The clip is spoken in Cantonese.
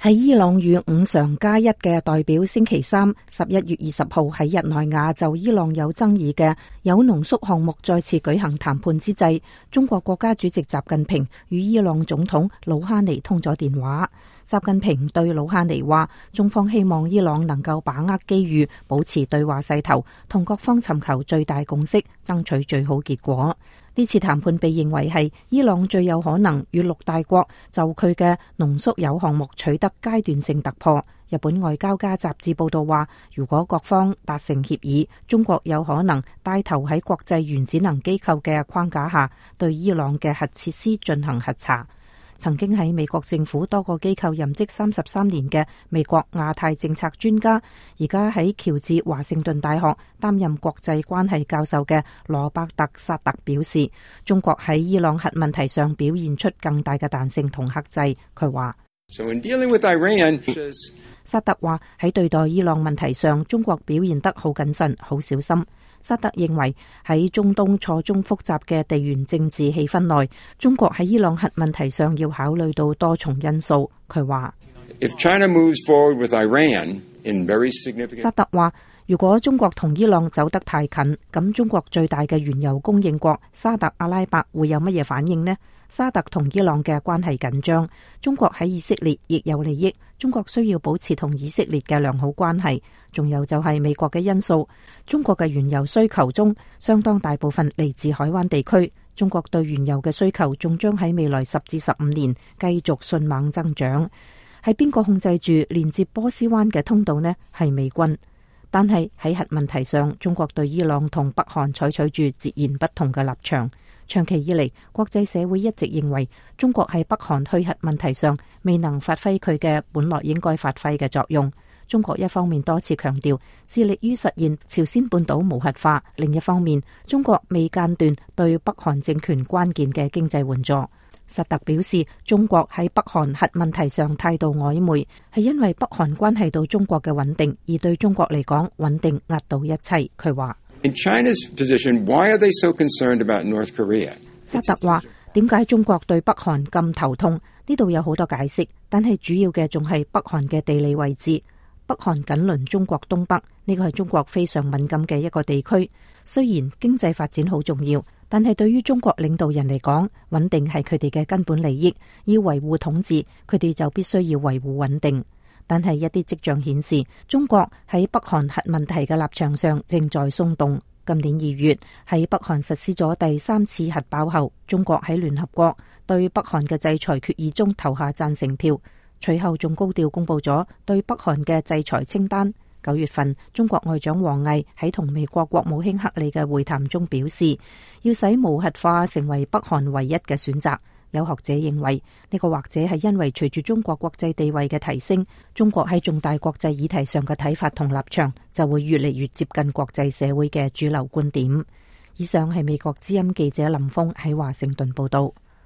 喺伊朗與五常加一嘅代表星期三11月20號喺日內瓦就伊朗有爭議嘅鈾濃縮項目再次舉行談判之際，中國國家主席習近平與伊朗總統魯哈尼通咗電話。習近平對魯哈尼話，中方希望伊朗能夠把握機遇，保持對話勢頭，同各方尋求最大共識，爭取最好結果。呢次談判被認為係伊朗最有可能與6大國就佢嘅濃縮鈾項目取得階段性突破。日本外交家雜誌報道話，如果各方達成協議，中國有可能帶頭喺國際原子能機構嘅框架下，對伊朗嘅核設施進行核查。曾經喺美國政府多個機構任職33年嘅美國亞太政策專家，而家喺喬治華盛頓大學擔任國際關係教授嘅羅伯特·薩特表示，中國喺伊朗核問題上表現出更大嘅彈性同克制。佢話，薩特話喺對待伊朗問題上，中國表現得好謹慎、好小心。薩特認為喺中東錯綜複雜嘅地緣政治氣氛內，中國喺伊朗核問題上要考慮到多重因素。佢話，薩特話，如果中國同伊朗走得太近，咁中國最大嘅原油供應國沙特阿拉伯會有乜嘢反應呢？沙特同伊朗嘅關係緊張，中國喺以色列亦有利益，中國需要保持同以色列嘅良好關係。仲有就係美國嘅因素，中國嘅原油需求中相當大部分嚟自海灣地區，中國對原油嘅需求仲將喺未來10至15年繼續迅猛增長。係邊個控制住連接波斯灣嘅通道呢？係美軍。但係喺核問題上，中國對伊朗同北韓採取住截然不同嘅立場。長期以嚟，國際社會一直認為中國喺北韓去核問題上未能發揮佢嘅本來應該發揮嘅作用。中國一方面多次強調致力於實現朝鮮半島無核化，另一方面中國未間斷對北韓政權關鍵嘅經濟援助。薩特表示，中國喺北韓核問題上態度曖昧，係因為北韓關係到中國嘅穩定，而對中國嚟講，穩定壓倒一切。佢話，薩特話，點解中國對北韓咁頭痛？呢度有好多解釋，但係主要嘅仲係北韓嘅地理位置。北韓緊鄰中國東北，呢個係中國非常敏感嘅一個地區。雖然經濟發展好重要，但係對於中國領導人嚟講，穩定係佢哋嘅根本利益。要維護統治，佢哋就必須要維護穩定。但係一啲跡象顯示，中國喺北韓核問題嘅立場上正在鬆動。今年2月喺北韓實施咗第3次核爆後，中國喺聯合國對北韓嘅制裁決議中投下贊成票。隨後仲高調公布咗對北韓嘅制裁清單。9月份，中國外長王毅喺同美國國務卿克里嘅會談中表示，要使無核化成為北韓唯一嘅選擇。有學者認為，呢個或者係因為隨住中國國際地位嘅提升，中國喺重大國際議題上嘅睇法同立場就會越嚟越接近國際社會嘅主流觀點。以上係美國之音記者林峰喺華盛頓報道。